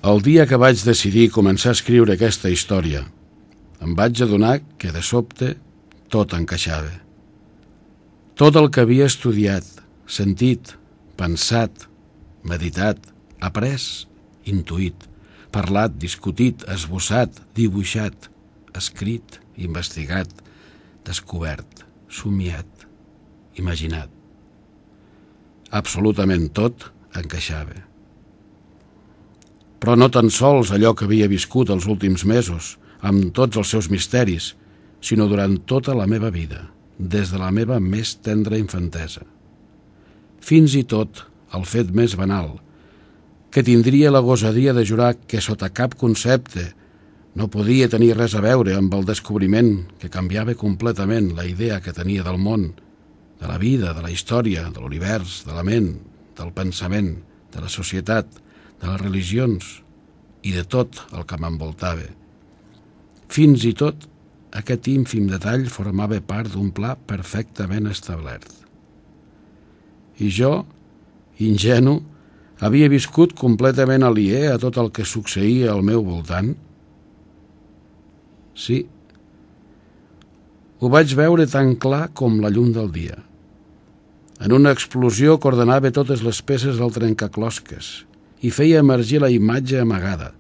El dia que vaig decidir començar a escriure aquesta història, em vaig adonar que de sobte tot encaixava. Tot el que havia estudiat, sentit, pensat, meditat, après, intuït, parlat, discutit, esbossat, dibuixat, escrit, investigat, descobert, somiat, imaginat. Absolutament tot encaixava. Però no tan sols allò que havia viscut els últims mesos, amb tots els seus misteris, sinó durant tota la meva vida, des de la meva més tendra infantesa. Fins i tot el fet més banal, que tindria la gosadia de jurar que sota cap concepte no podia tenir res a veure amb el descobriment que canviava completament la idea que tenia del món, de la vida, de la història, de l'univers, de la ment, del pensament, de la societat, de les religions i de tot el que m'envoltava. Fins i tot aquest ínfim detall formava part d'un pla perfectament establert. I jo, ingenu, havia viscut completament aliè a tot el que succeïa al meu voltant? Sí, ho vaig veure tan clar com la llum del dia. En una explosió que ordenava totes les peces del trencaclosques i feia emergir la imatge amagada,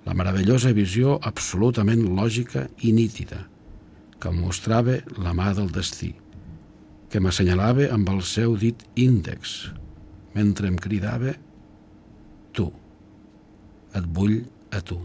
la meravellosa visió absolutament lògica i nítida, que em mostrava la mà del destí, que m'assenyalava amb el seu dit índex, mentre em cridava: tu, et vull a tu.